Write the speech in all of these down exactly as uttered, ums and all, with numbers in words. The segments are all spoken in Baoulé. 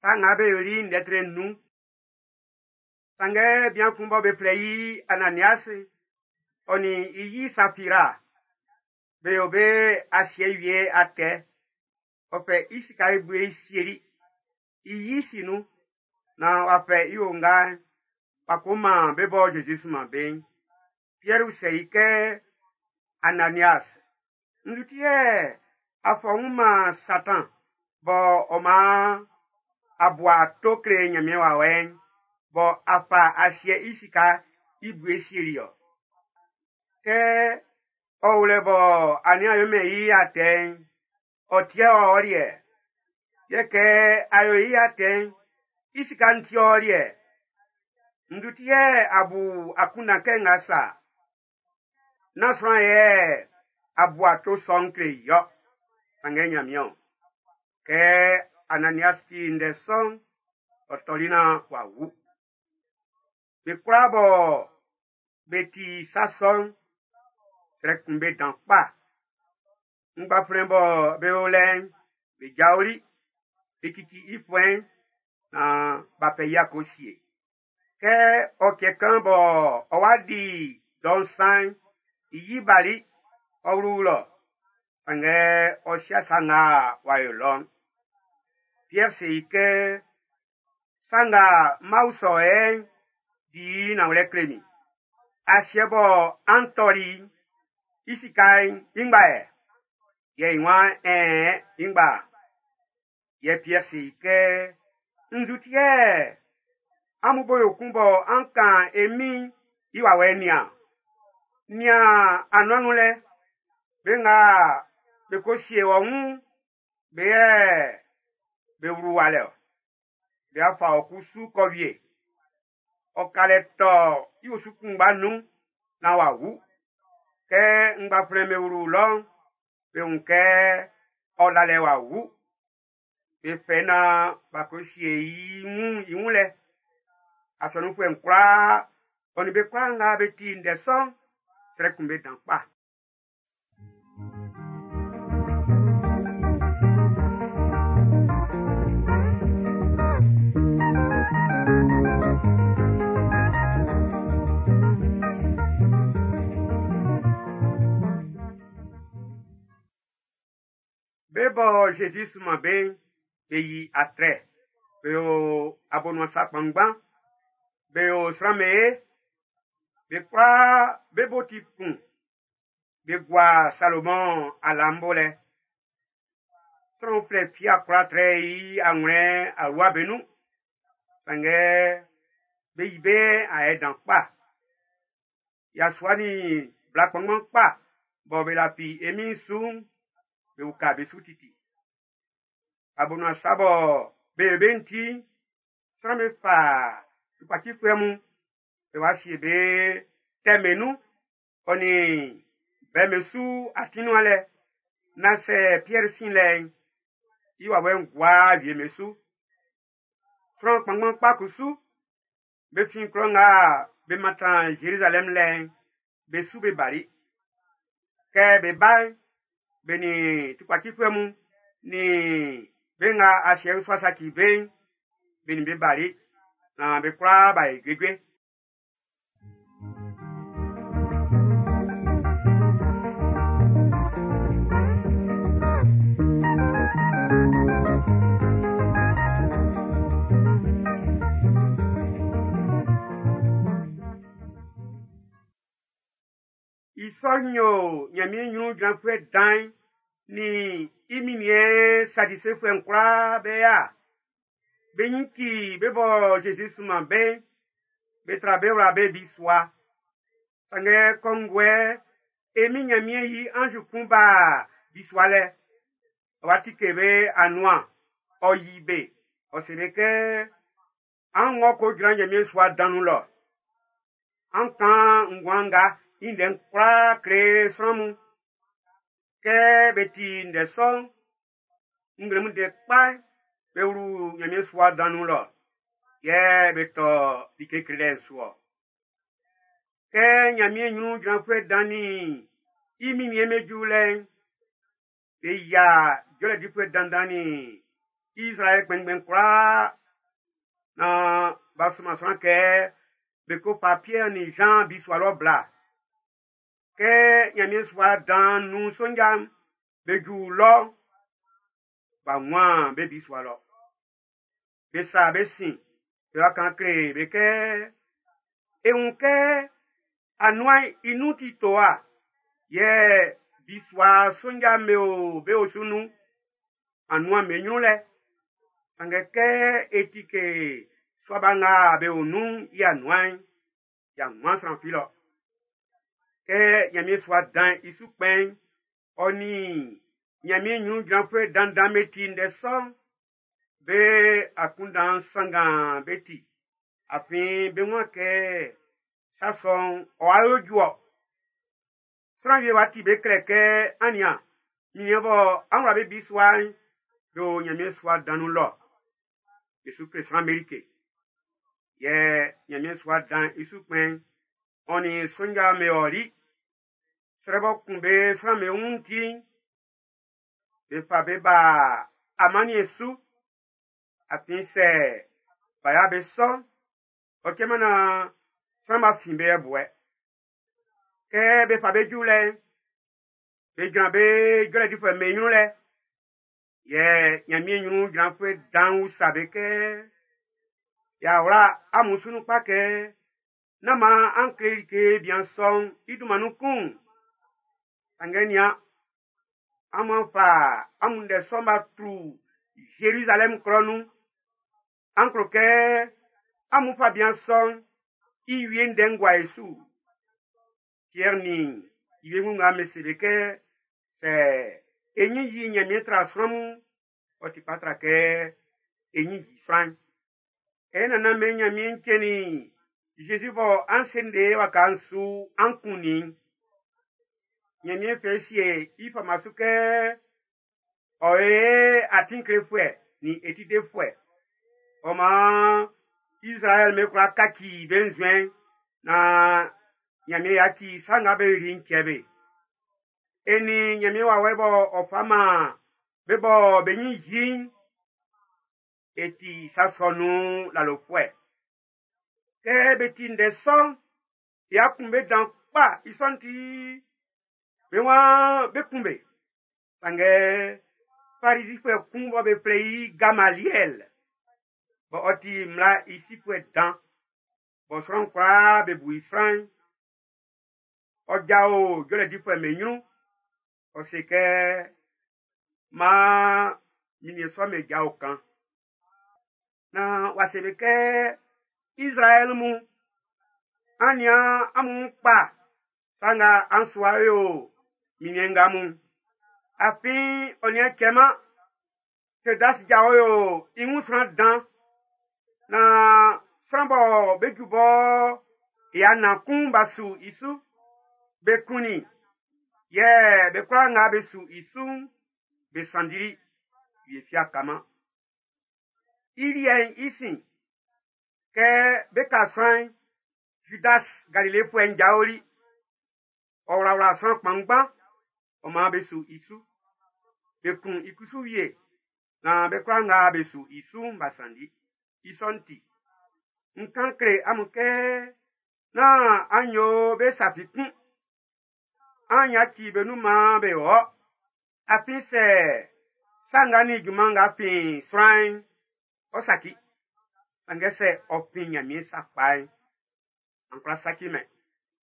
Sa nga be yoli ndɛ tre nnun. Sanngɛ bian kun bɔ be flɛ i Ananias, ɔ nin i yi Safira, be yo be asiɛ wie atɛ. Ɔ fɛ i sika i bue sieli i yi si nun, naan w'a fɛ i onga'n w'a ko man be bɔ Zezi sunman be'n. Piɛr usɛ i kɛ, Ananias, nzu ti yɛ a fɔ wun man Satan bɔ ɔ man a bua ato kle Nyanmiɛn wawɛ'n, bɔ a fa asiɛ i sika i bue sieli ɔ? Kɛ ɔ wlɛ bɔ a nian yomɛn i atɛ'n, ɔ tiɛ ɔ liɛ. Yɛ kɛ a yo i atɛ'n, i sika'n ti ɔ liɛ. Nzu ti yɛ a bu akunndan kɛ nga sa? Nán sran yɛ a bu ato sɔ'n kle i ɔ, sanngɛ Nyanmiɛn o. Kɛ Ananias ti ndɛ sɔ'n, ɔ tɔli naan w'a wu. Be kwlaa bɔ be ti sa sɔ'n, srɛ kun be dan kpa. Ngbaflɛn bɔ be o lɛ'n, be jaoli, be cici i fuɛ'n, naan b'a fɛ i a ko sie. Kɛ ɔ cɛ kan bɔ ɔ wa di dɔ nsan'n, i yi bali, ɔ wlu lɔ. Sanngɛ ɔ sia sa nga w'a yo lɔ'n. Pierre se i kɛ, sa nga m'aw sɔ ɛ'n, di nanwlɛ kle min. Asiɛ bɔ an tɔli i sika'n i ngba yɛ. Yɛ i waan ɛn i ngba. Yɛ Pierre se i kɛ, nzu ti yɛ amun bo yo kun bɔ an kan e Min'n i wawɛ'n nian. Nian anuan nun lɛ, be nga be ko sie wɔ wun, be yɛ be wlu wa lɛ ɔ. Be a fa ɔ kusu kɔ wie. Ɔ ka lɛ tɔ i osu kunngba nun naan w'a wu. Kɛ ngbaflɛ'n be wlu lɔ'n, be wun kɛ ɔ la lɛ w'a wu. Be fɛ naan b'a ko sie i wun i wun lɛ. Asɔnunfuɛ'n kwlaa, ɔ nin be kwlaa nga be ti ndɛ sɔ'n, srɛ kun be dan kpa. Be bɔ Zezi sunman be'n, be yi atrɛ, be yo abonuan sa kpanngban, be yo sran'm be ye, be kwlaa be bo ti kun, be gua Salomɔn ala'n bo lɛ. Sran uflɛ fi a kwla trɛ i anwlɛn alua be nun. Sanngɛ be yi be ayɛ dan kpa. Yasua nin bla kpanngban kpa bɔ be lafi e Min'n su'n, be uka be su titi. Abonuan sa bɔ be yo be'n ti, sran'm be fa tukpacifuɛ mun, be wa sie be tɛmɛ nun, ɔ nin bɛmɛ su atin nuan lɛ, nan sɛ Pierre sin lɛ'n, i wawɛ'n gua wie me su. Sran kpanngban kpa kusu, be fin klɔ nga be mantan Jérusalem lɛ'n, be su be bali. Kɛ be ba'n, be nin tukpacifuɛ mun, nin be nga asiɛ usua saci be'n, be nin be bali, naan be kwlaa b'a yi juejue. I sɔ'n yo Nyanmiɛn nyrun jranfuɛ dan'n nin i minniɛn Sadisefuɛ'n kwlaa be ya. Be nyin ci be bɔ Zezi sunman be'n, be tra be wla be bisua. Sanngɛ kɔnguɛ, e Min Nyanmiɛn yi anzu kun ba bisua lɛ. Ɔ wa tike be anuan, ɔ yi be. Ɔ se be kɛ, an ngɔ ko jran Nyanmiɛn sua dan nun lɔ. An kan nguan nga i ndɛ'n kwlaa kle sran mun. Kɛ be ti ndɛ sɔ'n, nglɛmun ndɛ kpa'n, be wlu Nyanmiɛn sua dan nun lɔ, yɛ be tɔ like klelɛ'n su ɔ. Kɛ Nyanmiɛn nyrun jranfuɛ dan nin i minniɛn be ju lɛ'n, be yia jɔlɛ difuɛ dandan nin Israɛl kpɛnngbɛn kwlaa na b'a sunman sran kɛ be ko fa Piɛr nin Jean bisua lɔ bla. Kɛ Ɲanmiɛn sua dan nun sonja'm be ju lɔ, b'a wun be bisua lɔ. Be sa be sin, be wa kan kle be kɛ, e wun kɛ anuan'n i nun ti towa, yɛ bisua sonja'm be o be osu nun, anuan'n be ɲrun lɛ. Sanngɛ kɛ e tike sua ba nga be o nun'n i anuan'n, y'a wunman sran fi lɔ. Kɛ Ɲanmiɛn sua dan'n i su kpɛn'n, ɔ nin Ɲanmiɛn ɲrun jranfuɛ dandan be ti ndɛ sɔ'n, be akunndan sanngan be ti. Afin be wun kɛ sa sɔ'n ɔ'a yo ju-ɔ. Sran wie wa ti be klɛ kɛ an nian, minniɛn bɔ an wla be bisua'n, be o Ɲanmiɛn sua dan nun lɔ. Be su kle sran'm be like. Yɛ Ɲanmiɛn sua dan'n i su kpɛn'n, ɔ nin sonja'm be ɔli. Srɛ bɔ kun be sran'm be wun ti'n, be fa be ba amanniɛn su. Afin sɛ b'a ya be sɔ, ɔ cɛman na sran b'a fin be ɛbuɛ. Kɛ be fa be ju lɛ'n, be jran be jɔlɛ difuɛ'm be ɲrun lɛ. Yɛ Ɲanmiɛn ɲrun jranfuɛ dan'n usa be kɛ, y'a wla amun su nun kpa kɛ, nán maan an kle like bian sɔ'n i dunman nun kun. Sanngɛ nian, amun fa amun ndɛ sɔ'n b'a tru Zerizalɛm klɔ nun. An klo kɛ amun fa bian sɔ'n i wie ndɛ'n gua e su. Piɛr nin i wiengu nga be se be kɛ, sɛ e ɲin yi Ɲanmiɛn tra sran mun, ɔ ti kpa tra kɛ e ɲin yi sran'n. E nannan be Ɲanmiɛn cɛnnin Zezi bɔ an sende waka'n su an kunnin. Ɲanmiɛn fɛ sie i fama su kɛ ɔ ye atin klefuɛ nin e ti defuɛ. Ɔ maan Israɛl be kwla kaci be nzuɛn na Ɲanmiɛn yaci sa nga be yoli'n cɛ be. E nin Ɲanmiɛn wawɛ bɔ ɔ fa man be bɔ be ɲin yi'n, e ti sa sɔ nun lalofuɛ. Kɛ be ti ndɛ sɔ'n, ya kun be dan kpa i sɔ'n ti, be waan be kun be. Sanngɛ Farisifuɛ kun bɔ be flɛ i Gamaliɛl, bɔ ɔ ti mmla i sifuɛ dan, bɔ sran kwlaa be bu i sran'n, ɔ jao jɔlɛ difuɛ'm be ɲrun, ɔ se kɛ, maan minniɛn sɔ'm be jao kan. Na wa se be kɛ, Israɛl mun, an nian amun kpa, sa nga an sua yo minniɛn nga mun. Afin ɔ nian cɛman, Tedas jao yo i wun sran dan, na sran bɔ be ju bɔ ya na kun b'a su i su, be kunnin, yɛ be kwlaa nga be su i su'n, be sanndili, wie fi a kaman. I liɛ'n i sin, kɛ be ka sran'n, Judas Galilefuɛ'n jaoli. Ɔ wlawla sran kpanngban, ɔ maan be su i su. Be kun i kusu wie, na be kwlaa nga be su i su'n b'a sanndi. I sɔ'n ti, n kan kle amun kɛ, nán an yo be sa fi kun. An yaci be nun maan be wɔ. Afin sɛ sa nga nin junman nga fin sran'n, ɔ saci. Sanngɛ sɛ ɔ fin Ɲanmiɛn sakpa'n, an kwla saci mɛn.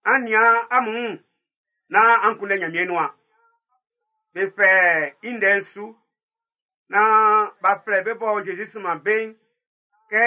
An nian amun wun, nán an kunndɛ Ɲanmiɛn nuan. Be fɛ i ndɛ'n su, nán b'a flɛ be bɔ Zezi sunman be'n, kɛ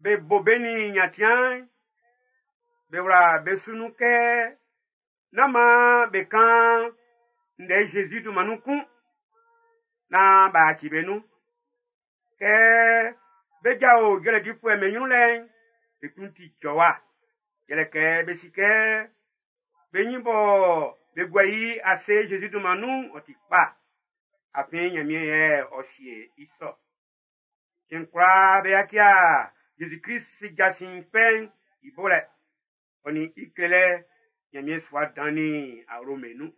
be bo be nin nyantiaan'n, be wla be su nun kɛ nán maan be kan ndɛ Zezi dunman nun kun, nán b'a yaci be nun. Kɛ be jao jɔlɛ difuɛ'm be ɲrun lɛ'n, be klun ti jɔwa. Yɛlɛ kɛ be si kɛ be ɲin bɔ be gua i ase Zezi dunman nun'n, ɔ ti kpa. Afin Ɲanmiɛn yɛ ɔ sie i sɔ. Cɛn kwlaa be yacia Zezi Klist jasin fɛ'n i bolɛ, ɔ nin i klelɛ Ɲanmiɛn sua dan nin awlo'm be nun.